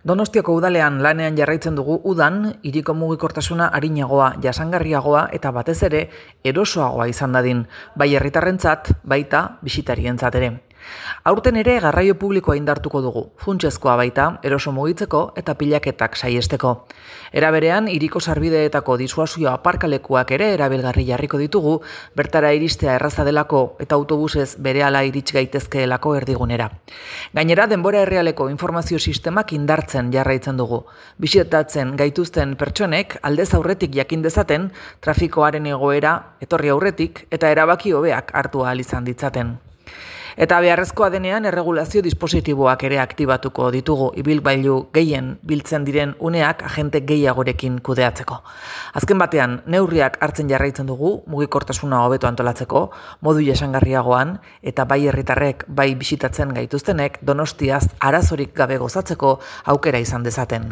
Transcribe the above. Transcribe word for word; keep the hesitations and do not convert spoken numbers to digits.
Donostiako udalean lanean jarraitzen dugu udan, hiriko mugikortasuna arinagoa, jasangarriagoa eta batez ere erosoagoa izan dadin, bai herritarrentzat, baita bisitarientzat ere. Aurten ere garraio publikoa indartuko dugu, funtsezkoa baita, eroso mugitzeko eta pilaketak saiesteko. Era berean, hiriko sarbideetako disuasio aparkalekuak ere erabilgarri jarriko ditugu, bertara iristea erraza delako eta autobusez berehala irits gaitezkeelako erdigunera. Gainera, denbora errealeko informazio sistemak indartzen jarraitzen dugu. Bisitatzen gaituzten pertsonek aldez aurretik jakin dezaten, trafikoaren egoera etorri aurretik eta erabaki hobeak hartu ahal izan ditzaten. Eta beharrezkoa denean erregulazio dispositiboak ere aktibatuko ditugu ibilgailu gehien biltzen diren uneak agente gehiagorekin kudeatzeko. Azken batean, neurriak hartzen jarraitzen dugu mugikortasuna hobeto antolatzeko, modu jasangarriagoan eta bai herritarrek bai bisitatzen gaituztenek Donostiaz arazorik gabe gozatzeko aukera izan dezaten.